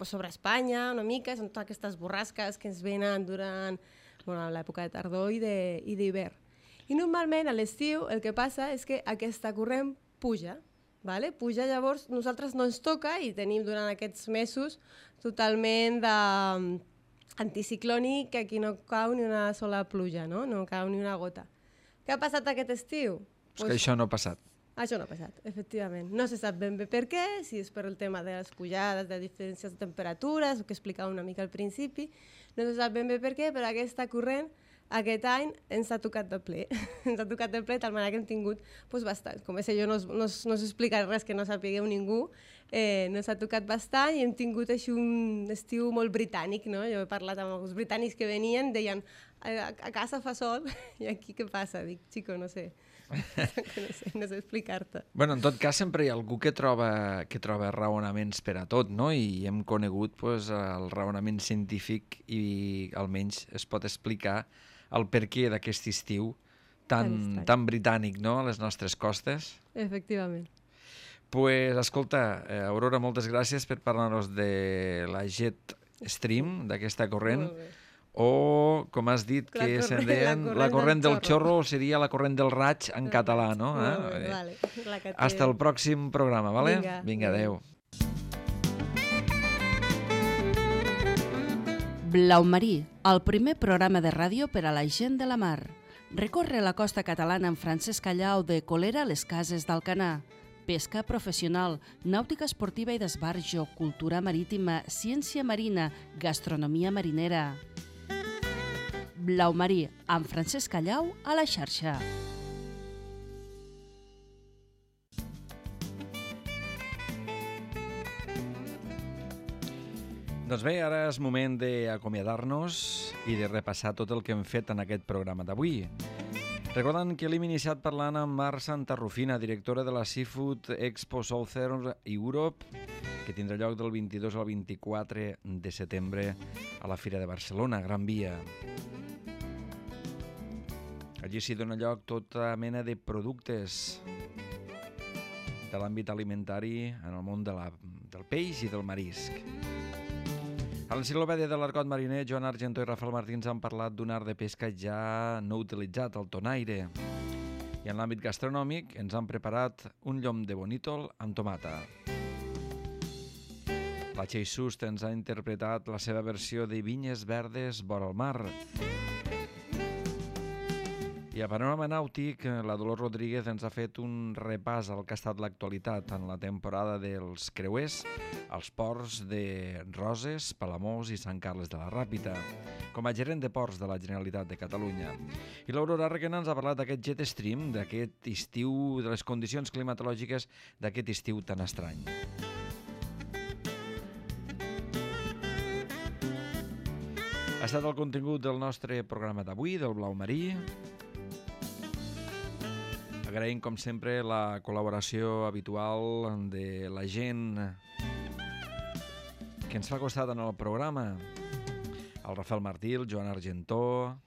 sobre Espanya una mica, són totes aquestes borrasques que ens venen durant bueno, l'època de tardor i d'hivern. I normalment a l'estiu el que passa és que aquesta corrent puja, vale? Puja, llavors nosaltres no ens toca i tenim durant aquests mesos totalment de anticiclònic, que aquí no cau ni una sola pluja, no? No cau ni una gota. Què ha passat aquest estiu? És pues que això no ha passat. Això no ha passat, efectivament. No se sap ben bé per què, si és per el tema de les pujades, de diferències de temperatures, el que explicava una mica al principi, no se sap ben bé per què, però aquesta corrent aquest any ens ha tocat de ple. Ens ha tocat de ple, de tal manera que hem tingut doncs, bastant. Com és jo no, no, no us explicaré res que no sapigueu ningú, eh, ens ha tocat bastant i hem tingut així un estiu molt britànic, no? Jo he parlat amb els britànics que venien, deien a, a casa fa sol i aquí què passa? Dic, xico, no sé. no sé, no sé explicar-te. Bueno, en tot cas, sempre hi ha algú que troba, que troba raonaments per a tot, no? I hem conegut pues, el raonament científic i almenys es pot explicar el perquè d'aquest estiu tan, tan britànic, no?, a les nostres costes. Efectivament. Pues, escolta, eh, Aurora, moltes gràcies per parlar-nos de la Jet Stream, d'aquesta corrent, o, com has dit, la que se'n deien la corrent, la corrent del, del xorro, seria la corrent del raig en del català, no? Eh? Bé, vale. La que té... Hasta el pròxim programa, vale? Vinga, Vinga, adeu. Blau Marí, el primer programa de ràdio per a la gent de la mar. Recorre la costa catalana amb Francesc Callau de Colera a les Cases d'Alcanar. Pesca professional, nàutica esportiva i d'esbarjo, cultura marítima, ciència marina, gastronomia marinera. Blau Marí, amb Francesc Callau a la xarxa. Doncs bé, ara és moment d'acomiadar-nos i de repassar tot el que hem fet en aquest programa d'avui. Recordant que l'hem iniciat parlant amb Mar Santarrufina, directora de la Seafood Expo Southern Europe, que tindrà lloc del vint-i-dos al vint-i-quatre de setembre a la Fira de Barcelona, Gran Via. Allí s'hi dona lloc tota mena de productes de l'àmbit alimentari en el món de la, del peix i del marisc. A l'enciclopèdia de l'Argot Mariner, Joan Argentó i Rafael Martins han parlat d'un art de pesca ja no utilitzat, el tonaire. I en l'àmbit gastronòmic ens han preparat un llom de bonítol amb tomata. La Txell Sust ens ha interpretat la seva versió de Vinyes verdes vora el mar. I a Panorama Nàutic, la Dolors Rodríguez ens ha fet un repàs al que ha estat l'actualitat en la temporada dels creuers als ports de Roses, Palamós i Sant Carles de la Ràpita, com a gerent de ports de la Generalitat de Catalunya. I l'Aurora Requena ens ha parlat d'aquest jet stream, d'aquest estiu, de les condicions climatològiques d'aquest estiu tan estrany. Ha estat el contingut del nostre programa d'avui, del Blau Marí. Agraïm, com sempre, la col·laboració habitual de la gent que ens fa costat en el programa. El Rafael Martí, el Joan Argentó,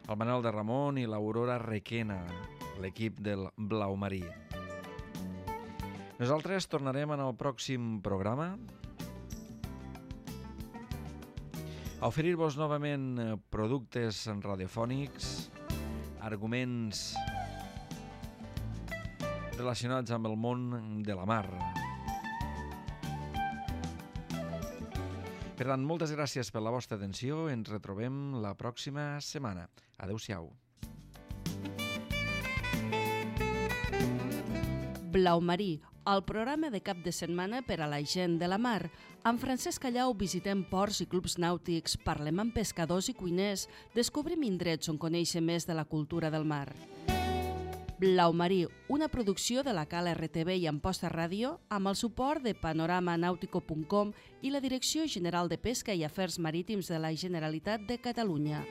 el Manel de Ramon i l'Aurora Requena, l'equip del Blau Marí. Nosaltres tornarem en el pròxim programa a oferir-vos novament productes radiofònics, arguments relacionats amb el món de la mar. Per tant, moltes gràcies per la vostra atenció. Ens retrobem la pròxima setmana. Adéu-siau. Blau Marí, el programa de cap de setmana per a la gent de la mar. Amb Francesc Callau visitem ports i clubs nàutics, parlem amb pescadors i cuiners, descobrim indrets on conèixer més de la cultura del mar. Blau Marí, una producció de la Cala R T V i Amposta Ràdio amb el suport de panorama nautico punt com i la Direcció General de Pesca i Afers Marítims de la Generalitat de Catalunya.